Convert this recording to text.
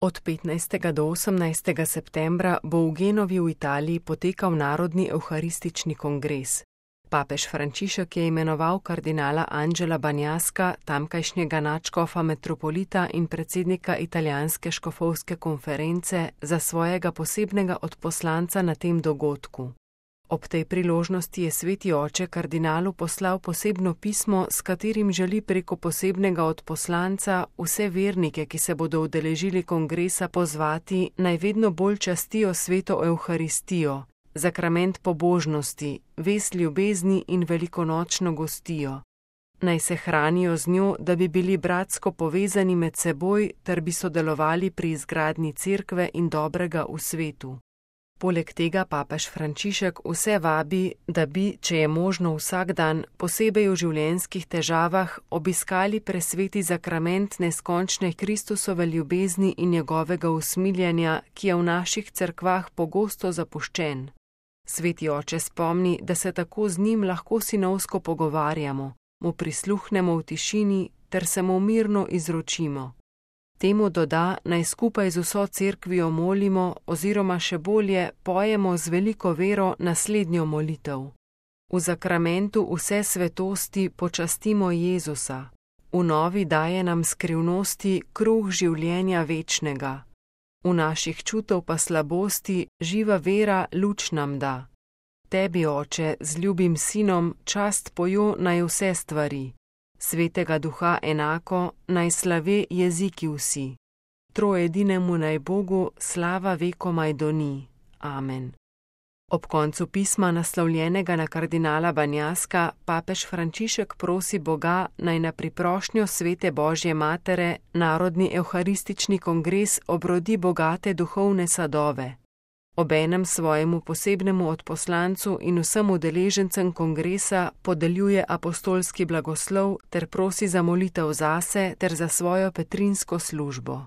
Od 15. do 18. septembra bo v Genovi v Italiji potekal Narodni evharistični kongres. Papež Frančišek je imenoval kardinala Angela Bagnaska, tamkajšnjega nadškofa metropolita in predsednika italijanske škofovske konference, za svojega posebnega odposlanca na tem dogodku. Ob tej priložnosti je sveti oče kardinalu poslal posebno pismo, s katerim želi preko posebnega odposlanca vse vernike, ki se bodo udeležili kongresa, pozvati, naj vedno bolj častijo sveto evharistijo, zakrament pobožnosti, vest ljubezni in velikonočno gostijo. Naj se hranijo z njo, da bi bili bratsko povezani med seboj ter bi sodelovali pri izgradnji cerkve in dobrega v svetu. Poleg tega papež Frančišek vse vabi, da bi, če je možno vsak dan, posebej v življenjskih težavah, obiskali presveti zakrament neskončne Kristusove ljubezni in njegovega usmiljanja, ki je v naših cerkvah pogosto zapuščen. Sveti oče spomni, da se tako z njim lahko sinovsko pogovarjamo, mu prisluhnemo v tišini ter se mu mirno izročimo. Temu doda, naj skupaj z vso cerkvijo molimo oziroma še bolje pojemo z veliko vero naslednjo molitev. V zakramentu vse svetosti počastimo Jezusa. V novi daje nam skrivnosti kruh življenja večnega. V naših čutov pa slabosti živa vera luč nam da. Tebi, oče, z ljubim sinom, čast pojo naj vse stvari. Svetega duha enako, naj slave jeziki vsi. Troedinemu naj Bogu slava vekomaj doni. Amen. Ob koncu pisma, naslovljenega na kardinala Bagnaska, papež Frančišek prosi Boga, naj na priprošnjo svete Božje Matere Narodni evharistični kongres obrodi bogate duhovne sadove. Obenem svojemu posebnemu odposlancu in vsem udeležencem kongresa podeljuje apostolski blagoslov ter prosi za molitev zase ter za svojo petrinsko službo.